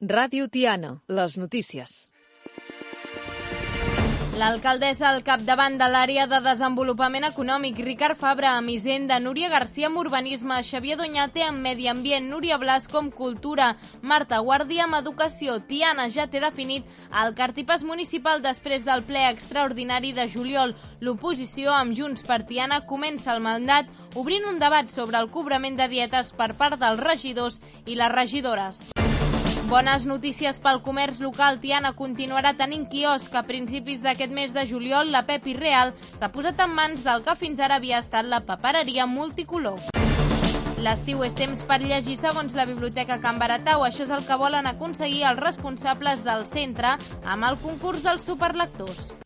Ràdio Tiana, les notícies. L'alcaldessa al capdavant de l'àrea de desenvolupament econòmic, Ricard Fabra amb Hisenda, Núria García amb Urbanisme, Xavier Doñate amb Medi Ambient, Núria Blasco amb Cultura, Marta Guàrdia amb Educació. Tiana ja té definit el cartipàs municipal després del ple extraordinari de juliol. L'oposició amb Junts per Tiana comença el mandat obrint un debat sobre el cobrament de dietes per part dels regidors i les regidores. Bones notícies pel comerç local. Tiana continuarà tenint quiosc. A principis d'aquest mes de juliol, la Pepi Real s'ha posat en mans del que fins ara havia estat la papereria multicolor. L'estiu és temps per llegir segons la Biblioteca Can Baratau. Això és el que volen aconseguir els responsables del centre amb el concurs dels superlectors.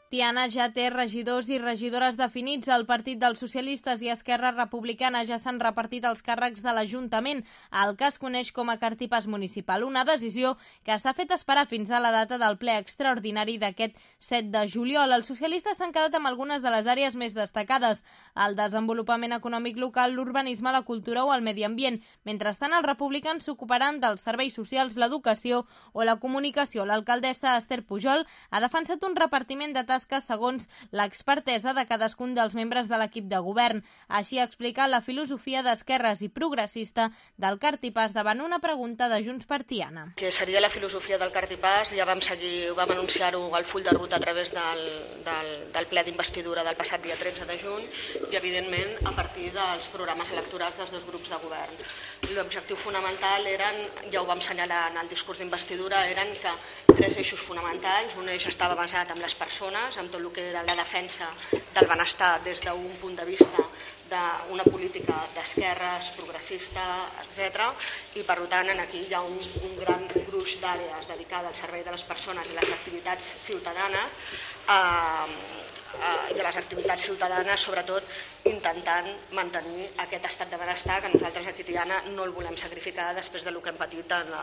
Tiana ja té regidors i regidores definits. El Partit dels Socialistes i Esquerra Republicana ja s'han repartit els càrrecs de l'Ajuntament, el que es coneix com a cartipàs municipal. Una decisió que s'ha fet esperar fins a la data del ple extraordinari d'aquest 7 de juliol. Els socialistes s'han quedat amb algunes de les àrees més destacades: el desenvolupament econòmic local, l'urbanisme, la cultura o el medi ambient. Mentrestant, els republicans s'ocuparan dels serveis socials, l'educació o la comunicació. L'alcaldessa Esther Pujol ha defensat un repartiment de tasques segons l'expertesa de cadascun dels membres de l'equip de govern. Així ha explicat la filosofia d'esquerres i progressista del cartipàs davant una pregunta de Junts per Tiana. Que seria la filosofia del cartipàs, ja vam anunciar-ho al full de ruta a través del ple d'investidura del passat dia 13 de juny i, evidentment, a partir dels programes electorals dels dos grups de govern. L'objectiu fonamental eren, ja ho vam assenyalar en el discurs d'investidura, eren que 3 eixos fonamentals. Un eix estava basat en les persones, amb tot el que era la defensa del benestar des d'un punt de vista d'una política d'esquerres, progressista, etc. I, per tant, aquí hi ha un gran gruix d'àrees dedicades al servei de les persones i les activitats ciutadanes, i a les activitats ciutadanes, sobretot, intentant mantenir aquest estat de benestar que nosaltres aquí a Tiana no el volem sacrificar després del que hem patit en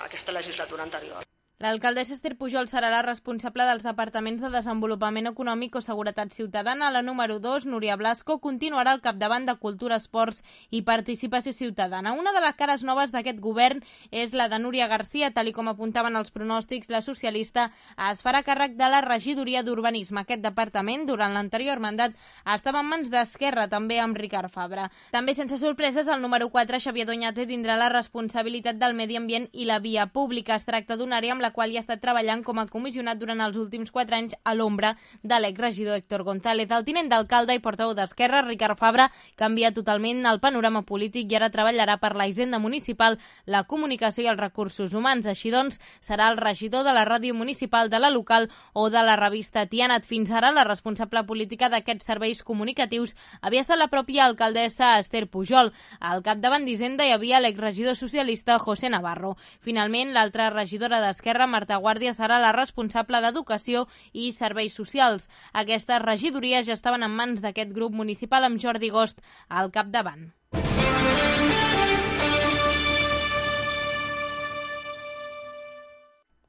aquesta legislatura anterior. L'alcaldessa Esther Pujol serà la responsable dels departaments de Desenvolupament Econòmic o Seguretat Ciutadana. La número 2, Núria Blasco, continuarà al capdavant de Cultura, Esports i Participació Ciutadana. Una de les cares noves d'aquest govern és la de Núria García. Tal com apuntaven els pronòstics, la socialista es farà càrrec de la regidoria d'Urbanisme. Aquest departament, durant l'anterior mandat, estava en mans d'Esquerra, també amb Ricard Fabra. També, sense sorpreses, el número 4, Xavier Doñate, tindrà la responsabilitat del medi ambient i la via pública. Es tracta d'una àrea amb la qual hi ha estat treballant com a comissionat durant els últims 4 anys a l'ombra de l'exregidor Héctor González. El tinent d'alcalde i portaveu d'Esquerra, Ricard Fabra, canvia totalment el panorama polític i ara treballarà per la Hisenda Municipal, la comunicació i els recursos humans. Així doncs, serà el regidor de la ràdio municipal, de la local o de la revista Tiana. Fins ara, la responsable política d'aquests serveis comunicatius havia estat la pròpia alcaldessa Esther Pujol. Al capdavant d'Hisenda hi havia l'exregidor socialista José Navarro. Finalment, l'altra regidora d'Esquerra, Marta Guàrdia, serà la responsable d'Educació i Serveis Socials. Aquestes regidories ja estaven en mans d'aquest grup municipal amb Jordi Gost al capdavant.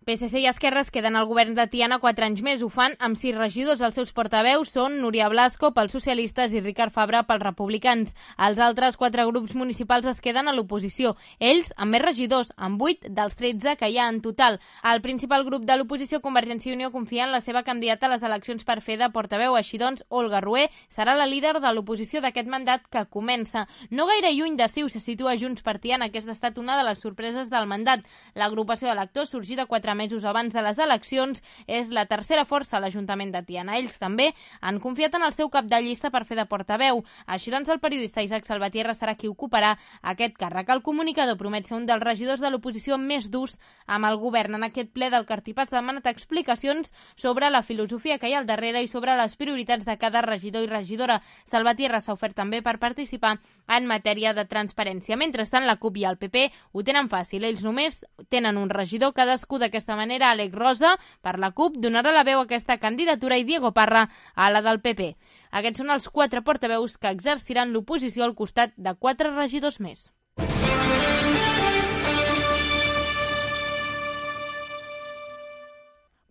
PSC i Esquerra es queden al govern de Tiana 4 anys més. Ho fan amb 6 regidors. Els seus portaveus són Núria Blasco pels socialistes i Ricard Fabra pels republicans. Els altres 4 grups municipals es queden a l'oposició. Ells amb més regidors, amb 8 dels 13 que hi ha en total. El principal grup de l'oposició, Convergència i Unió, confia en la seva candidata a les eleccions per fer de portaveu. Així doncs, Olga Rué serà la líder de l'oposició d'aquest mandat que comença. No gaire lluny de Ciu se situa Junts per Tiana. Aquesta ha estat una de les sorpreses del mandat. L'agrupació d'electors, sorgida 4 mesos abans de les eleccions, és la tercera força a l'Ajuntament de Tiana. Ells també han confiat en el seu cap de llista per fer de portaveu. Així doncs, el periodista Isaac Salvatierra serà qui ocuparà aquest càrrec. El comunicador promet ser un dels regidors de l'oposició més durs amb el govern. En aquest ple del cartipàs ha demanat explicacions sobre la filosofia que hi ha al darrere i sobre les prioritats de cada regidor i regidora. Salvatierra s'ha ofert també per participar en matèria de transparència. Mentrestant, la CUP i el PP ho tenen fàcil. Ells només tenen un regidor cadascú. D'aquesta manera, Àlex Rosa, per la CUP, donarà la veu a aquesta candidatura i Diego Parra a la del PP. Aquests són els 4 portaveus que exerciran l'oposició al costat de 4 regidors més.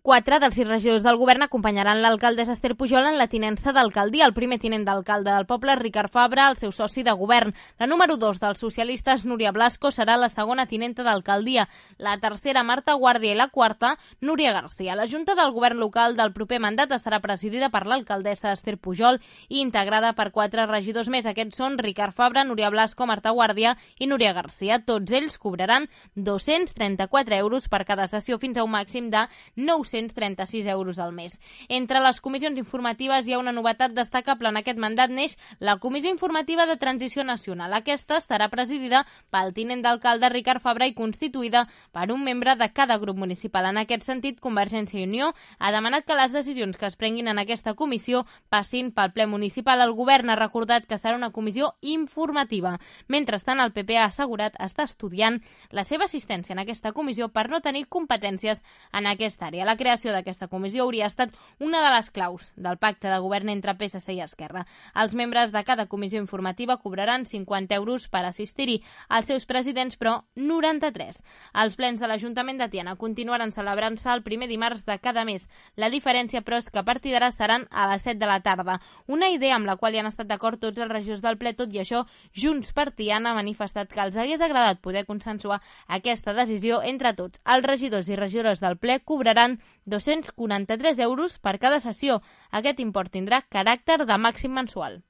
4 dels 6 regidors del govern acompanyaran l'alcaldessa Esther Pujol en la tinença d'alcaldia. El primer tinent d'alcalde del poble, Ricard Fabra, el seu soci de govern. La número 2 dels socialistes, Núria Blasco, serà la segona tinenta d'alcaldia. La tercera, Marta Guàrdia, i la quarta, Núria Garcia. La Junta del Govern local del proper mandat estarà presidida per l'alcaldessa Esther Pujol i integrada per 4 regidors més. Aquests són Ricard Fabra, Núria Blasco, Marta Guàrdia i Núria Garcia. Tots ells cobraran 234 euros per cada sessió, fins a un màxim de 936 euros al mes. Entre les comissions informatives hi ha una novetat destacable en aquest mandat. Neix la Comissió Informativa de Transició Nacional. Aquesta estarà presidida pel tinent d'alcalde Ricard Fabra i constituïda per un membre de cada grup municipal. En aquest sentit, Convergència i Unió ha demanat que les decisions que es prenguin en aquesta comissió passin pel ple municipal. El govern ha recordat que serà una comissió informativa. Mentrestant, el PP ha assegurat estar estudiant la seva assistència en aquesta comissió per no tenir competències en aquesta àrea. La creació d'aquesta comissió hauria estat una de les claus del pacte de govern entre PSC i Esquerra. Els membres de cada comissió informativa cobraran 50 euros per assistir-hi. Els seus presidents, però, 93. Els plens de l'Ajuntament de Tiana continuaran celebrant-se el primer dimarts de cada mes. La diferència, però, és que a partir d'ara seran a les 7 de la tarda. Una idea amb la qual hi han estat d'acord tots els regidors del ple. Tot i això, Junts per Tiana ha manifestat que els hagués agradat poder consensuar aquesta decisió entre tots. Els regidors i regidores del ple cobraran 243 euros per cada sessió. Aquest import tindrà caràcter de màxim mensual.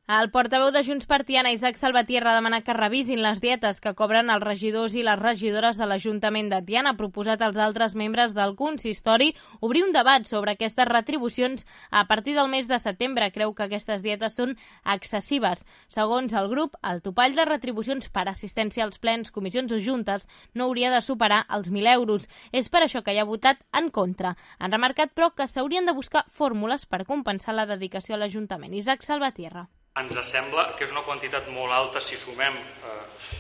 El portaveu de Junts per Tiana, Isaac Salvatierra, ha demanat que revisin les dietes que cobren els regidors i les regidores de l'Ajuntament de Tiana. Ha proposat als altres membres del consistori obrir un debat sobre aquestes retribucions a partir del mes de setembre. Creu que aquestes dietes són excessives. Segons el grup, el topall de retribucions per assistència als plens, comissions o juntes no hauria de superar els 1.000 euros. És per això que hi ha votat en contra. Han remarcat, però, que s'haurien de buscar fórmules per compensar la dedicació a l'Ajuntament. Isaac Salvatierra. Ens sembla que és una quantitat molt alta si sumem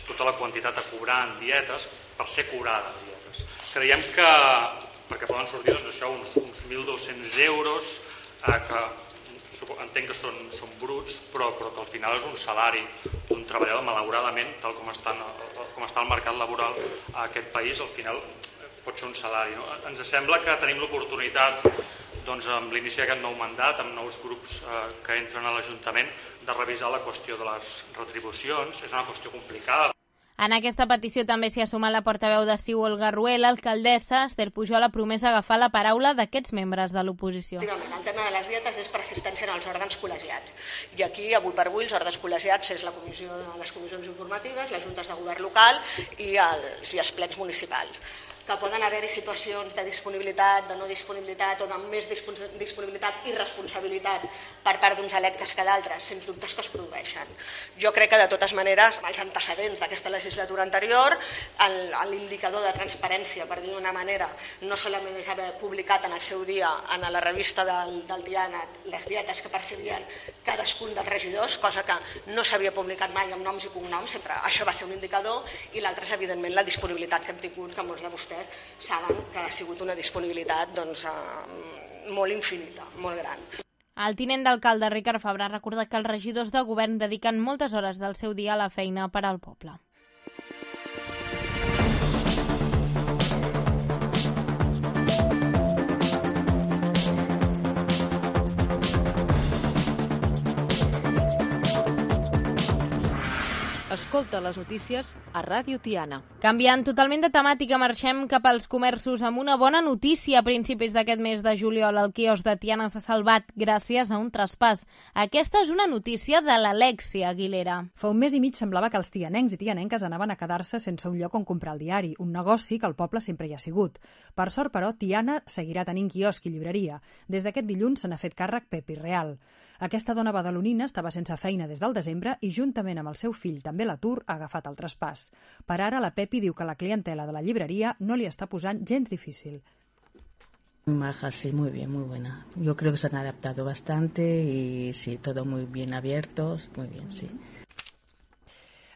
tota la quantitat a cobrar en dietes per ser cobrada en dietes. Creiem que, perquè poden sortir doncs, això, uns 1.200 euros, que entenc que són bruts, però que al final és un salari d'un treballador, malauradament, tal com està el mercat laboral a aquest país, al final pot ser un salari. No? Ens sembla que tenim l'oportunitat, doncs, amb l'inici d'aquest nou mandat, amb nous grups que entren a l'Ajuntament, de revisar la qüestió de les retribucions. És una qüestió complicada. En aquesta petició també s'hi ha sumat la portaveu de CiU, Olga Ruel. L'alcaldessa Esther Pujol ha promès agafar la paraula d'aquests membres de l'oposició. El tema de les dietes és per assistència en els òrgans col·legiats. I aquí, avui per avui, els òrgans col·legiats és la comissió de les comissions informatives, les juntes de govern local i els plens municipals. Que poden haver-hi situacions de disponibilitat, de no disponibilitat o de més disponibilitat i responsabilitat per part d'uns electes que d'altres, sens dubtes que es produeixen. Jo crec que de totes maneres, els antecedents d'aquesta legislatura anterior, l'indicador de transparència, per dir d'una manera, no solament és haver publicat en el seu dia en la revista del Tiana les dietes que percebien cadascun dels regidors, cosa que no s'havia publicat mai amb noms i cognoms, sempre això va ser un indicador, i l'altre és evidentment la disponibilitat que hem tingut, que molts de vostès saben que ha sigut una disponibilitat molt infinita, molt gran. El tinent d'alcalde Ricard Fabra ha recordat que els regidors de govern dediquen moltes hores del seu dia a la feina per al poble. Escolta les notícies a Ràdio Tiana. Canviant totalment de temàtica, marxem cap als comerços amb una bona notícia. A principis d'aquest mes de juliol, el quiosc de Tiana s'ha salvat gràcies a un traspàs. Aquesta és una notícia de l'Alexia Aguilera. Fa un mes i mig semblava que els tianencs i tianenques anaven a quedar-se sense un lloc on comprar el diari, un negoci que al poble sempre hi ha sigut. Per sort, però, Tiana seguirà tenint quiosc i llibreria. Des d'aquest dilluns se n'ha fet càrrec Pepi Real. Aquesta dona badalonina estava sense feina des del desembre i, juntament amb el seu fill, també l'atur, ha agafat el traspàs. Per ara, la Pepi diu que la clientela de la llibreria no li està posant gens difícil. Muy maja, sí, muy bien, muy buena. Yo creo que se han adaptado bastante y sí, todo muy bien abiertos, muy bien, sí.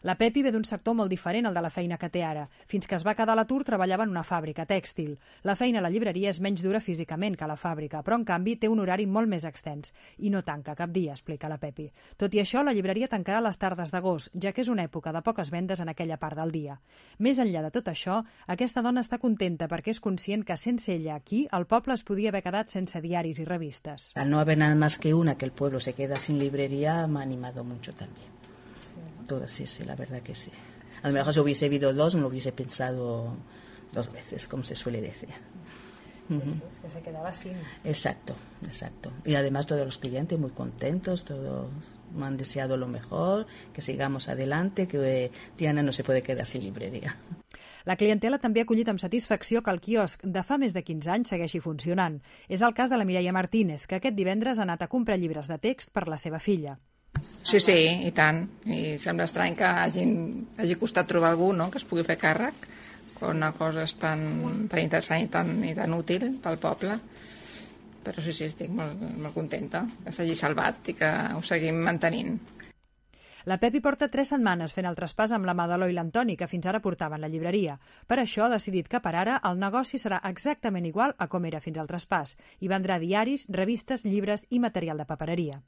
La Pepi ve d'un sector molt diferent al de la feina que té ara. Fins que es va quedar a l'atur treballava en una fàbrica tèxtil. La feina a la llibreria és menys dura físicament que a la fàbrica, però en canvi té un horari molt més extens i no tanca cap dia, explica la Pepi. Tot i això, la llibreria tancarà les tardes d'agost, ja que és una època de poques vendes en aquella part del dia. Més enllà de tot això, aquesta dona està contenta perquè és conscient que sense ella aquí el poble es podia haver quedat sense diaris i revistes. Al no haber nada más que una, que el pueblo se queda sin librería, me ha animado mucho también. Todo, sí, la verdad que sí. A lo mejor si hubiese habido dos, me lo hubiese pensado 2 veces, como se suele decir. Sí, es que se quedaba sin. Exacto. Y además todos los clientes muy contentos, todos me han deseado lo mejor, que sigamos adelante, que Tiana no se puede quedar sin librería. La clientela també ha acollit amb satisfacció que el quiosc de fa més de 15 anys segueixi funcionant. És el cas de la Mireia Martínez, que aquest divendres ha anat a comprar llibres de text per la seva filla. Sí, i tant. I sembla estrany que hagi costat trobar algú, no?, que es pugui fer càrrec quan una cosa és tan interessant i tan útil pel poble. Però sí, estic molt contenta que s'hagi salvat i que ho seguim mantenint. La Pepi porta 3 setmanes fent el traspàs amb la mà de l'Eloi i l'Antoni, que fins ara portaven la llibreria. Per això ha decidit que per ara el negoci serà exactament igual a com era fins al traspàs i vendrà diaris, revistes, llibres i material de papereria.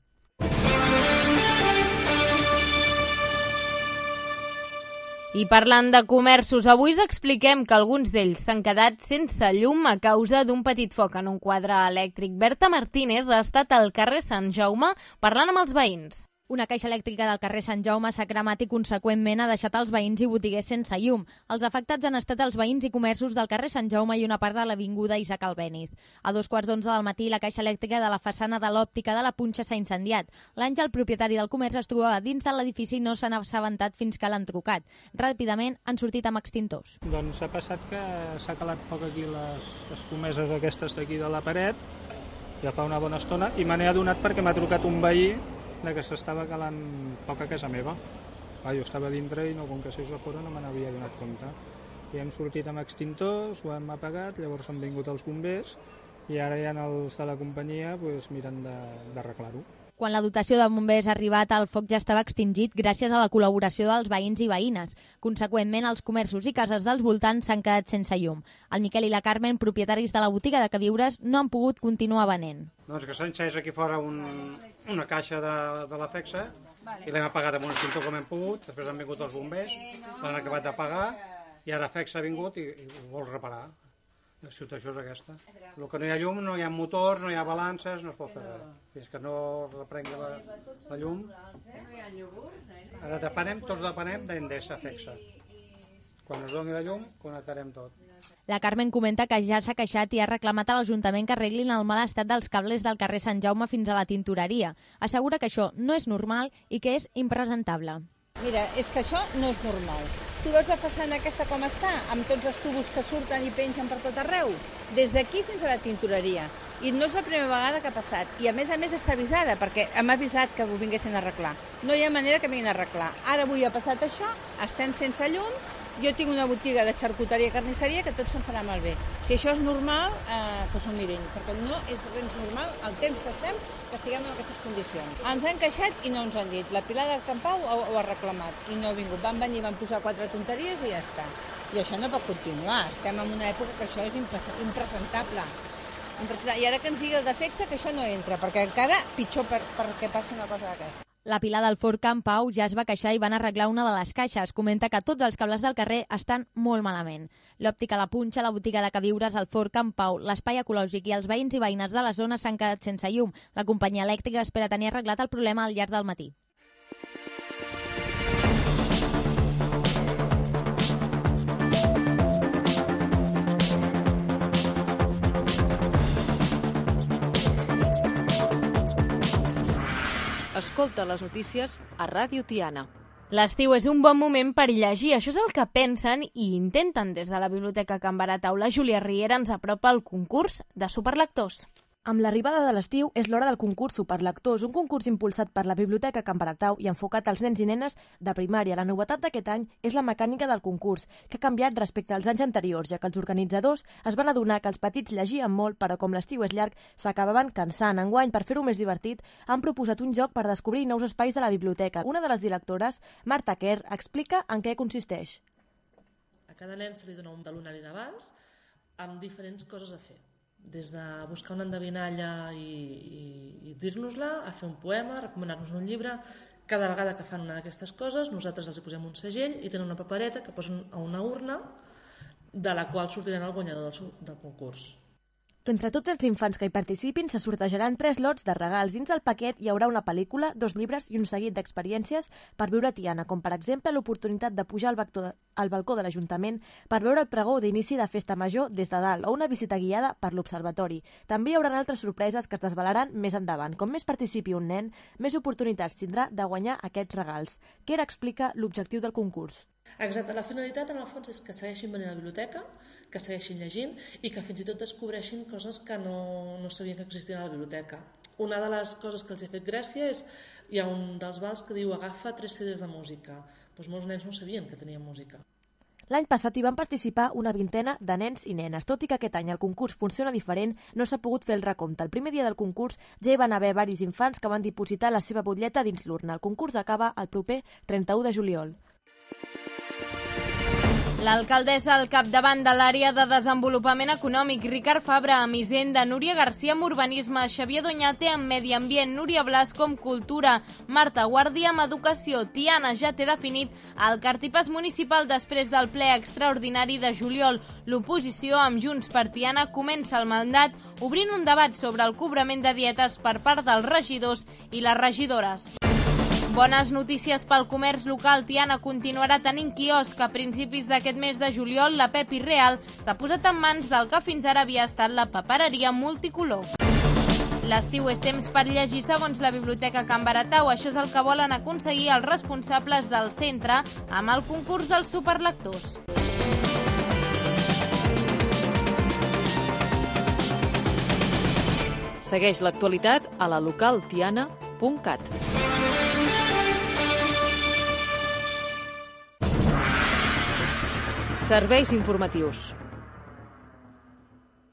I parlant de comerços, avui us expliquem que alguns d'ells s'han quedat sense llum a causa d'un petit foc en un quadre elèctric. Berta Martínez ha estat al carrer Sant Jaume parlant amb els veïns. Una caixa elèctrica del carrer Sant Jaume s'ha cremat i conseqüentment ha deixat els veïns i botiguers sense llum. Els afectats han estat els veïns i comerços del carrer Sant Jaume i una part de l'avinguda Isaac Albéniz. A 2:15 del matí, la caixa elèctrica de la façana de l'òptica de la Punxa s'ha incendiat. L'Àngel, propietari del comerç, es trobava dins de l'edifici i no s'ha assabentat fins que l'han trucat. Ràpidament han sortit amb extintors. Doncs ha passat que s'ha calat foc aquí les escomeses aquestes d'aquí de la paret, ja fa una bona estona, i me n'he adonat perquè m'ha trucat un veí que s'estava calant foc a casa meva. Jo estava dintre i com que sés a fora no me n'havia donat compte. I hem sortit amb extintors, ho hem apagat, llavors han vingut els bombers i ara ja els de la companyia miren d'arreglar-ho. Quan la dotació de bombers ha arribat, el foc ja estava extingit gràcies a la col·laboració dels veïns i veïnes. Conseqüentment, els comerços i cases dels voltants s'han quedat sense llum. El Miquel i la Carmen, propietaris de la botiga de queviures, no han pogut continuar venent. Doncs que s'ha encès aquí fora una caixa de la FEXA i l'hem apagat amb un extintor com hem pogut, després han vingut els bombers, l'han acabat d'apagar i ara FEXA ha vingut i ho vol reparar. La situació és aquesta. El que no hi ha llum, no hi ha motors, no hi ha balances, no es pot fer res. Fins que no reprengui la llum. Ara tots depenem d'Endesa FEXA. Quan es doni la llum, connectarem tot. La Carmen comenta que ja s'ha queixat i ha reclamat a l'Ajuntament que arreglin el mal estat dels cables del carrer Sant Jaume fins a la tintoreria. Assegura que això no és normal i que és impresentable. Mira, és que això no és normal. Tu veus la façana aquesta com està, amb tots els tubos que surten i pengen per tot arreu? Des d'aquí fins a la tintoreria. I no és la primera vegada que ha passat. I a més està avisada, perquè hem avisat que ho vinguessin a arreglar. No hi ha manera que vinguin a arreglar. Ara avui ha passat això, estem sense llum, jo tinc una botiga de xarcuteria i carnisseria que tot se'n farà malbé. Si això és normal, que s'ho mirin, perquè no és res normal el temps que estem, que estiguem en aquestes condicions. Ens han queixat i no ens han dit. La Pilar del Campau ho ha reclamat i no ha vingut. Van venir, van posar 4 tonteries i ja està. I això no pot continuar. Estem en una època que això és impresentable. I ara que ens digui el de FEXA que això no entra, perquè encara pitjor perquè passi una cosa d'aquesta. La Pilar del Fort Campau ja es va queixar i van arreglar una de les caixes. Comenta que tots els cables del carrer estan molt malament. L'òptica La Punxa, la botiga de queviures, el Fort Campau, l'espai ecològic i els veïns i veïnes de la zona s'han quedat sense llum. La companyia elèctrica espera tenir arreglat el problema al llarg del matí. Escolta les notícies a Ràdio Tiana. L'estiu és un bon moment per llegir, això és el que pensen i intenten des de la Biblioteca Can Barat Aula. Júlia Riera ens apropa al concurs de superlectors. Amb l'arribada de l'estiu és l'hora del concurs Superlectors, un concurs impulsat per la Biblioteca Can Baratau i enfocat als nens i nenes de primària. La novetat d'aquest any és la mecànica del concurs, que ha canviat respecte als anys anteriors, ja que els organitzadors es van adonar que els petits llegien molt, però com l'estiu és llarg, s'acabaven cansant. Enguany, per fer-ho més divertit, han proposat un joc per descobrir nous espais de la biblioteca. Una de les directores, Marta Kerr, explica en què consisteix. A cada nen se li dona un talonari d'abans amb diferents coses a fer. Des de buscar una endevinalla i dir-nos-la, a fer un poema, a recomanar-nos un llibre. Cada vegada que fan una d'aquestes coses, nosaltres els posem un segell i tenen una papereta que posen a una urna de la qual sortiran el guanyador del concurs. Entre tots els infants que hi participin se sortejaran 3 lots de regals. Dins del paquet hi haurà una pel·lícula, 2 llibres i un seguit d'experiències per viure a Tiana, com per exemple l'oportunitat de pujar al balcó de l'Ajuntament per veure el pregó d'inici de Festa Major des de dalt o una visita guiada per l'Observatori. També hi haurà altres sorpreses que es desvelaran més endavant. Com més participi un nen, més oportunitats tindrà de guanyar aquests regals. Kerr explica l'objectiu del concurs. Exacte, la finalitat en el fons és que segueixin venint a la biblioteca, que segueixin llegint i que fins i tot descobreixin coses que no sabien que existien a la biblioteca. Una de les coses que els ha fet gràcia és, hi ha un dels vals que diu agafa 3 CDs de música. Doncs molts nens no sabien que tenien música. L'any passat hi van participar una vintena de nens i nenes. Tot i que aquest any el concurs funciona diferent, no s'ha pogut fer el recompte. El primer dia del concurs ja hi van haver varis infants que van dipositar la seva butlleta dins l'urna. El concurs acaba el proper 31 de juliol. L'alcaldessa al capdavant de l'àrea de desenvolupament econòmic, Ricard Fabra amb Hisenda, Núria García amb Urbanisme, Xavier Doñate amb Medi Ambient, Núria Blasco amb Cultura, Marta Guàrdia amb Educació. Tiana ja té definit el cartipàs municipal després del ple extraordinari de juliol. L'oposició amb Junts per Tiana comença el mandat obrint un debat sobre el cobrament de dietes per part dels regidors i les regidores. Bones notícies pel comerç local. Tiana continuarà tenint quiosc. A principis d'aquest mes de juliol, la Pepi Real s'ha posat en mans del que fins ara havia estat la papereria multicolor. L'estiu és temps per llegir segons la Biblioteca Can Baratau. Això és el que volen aconseguir els responsables del centre amb el concurs dels superlectors. Segueix l'actualitat a la localtiana.cat. Serveis informatius.